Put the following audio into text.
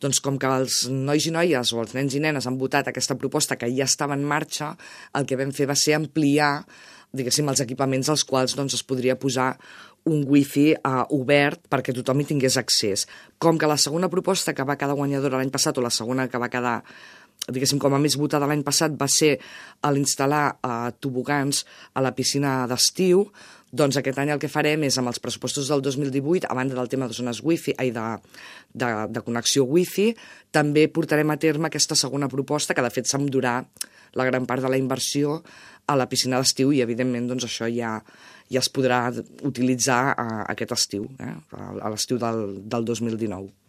Doncs com que els nois i noies o els nens i nenes han votat aquesta proposta que ja estava en marxa, el que vam fer va ser ampliar, diguéssim, els equipaments als quals doncs, es podria posar un wifi obert perquè tothom hi tingués accés. Com que la segona proposta que va quedar guanyadora l'any passat, o la segona que va quedar, diguéssim, com a més votada l'any passat, va ser l'instal·lar tobogans a la piscina d'estiu, doncs aquest any el que farem és, amb els pressupostos del 2018, a banda del tema de zones wifi, de connexió wifi, també portarem a terme aquesta segona proposta, que de fet s'endurà la gran part de la inversió a la piscina d'estiu i, evidentment, doncs això ja es podrà utilitzar aquest estiu, a l'estiu del 2019.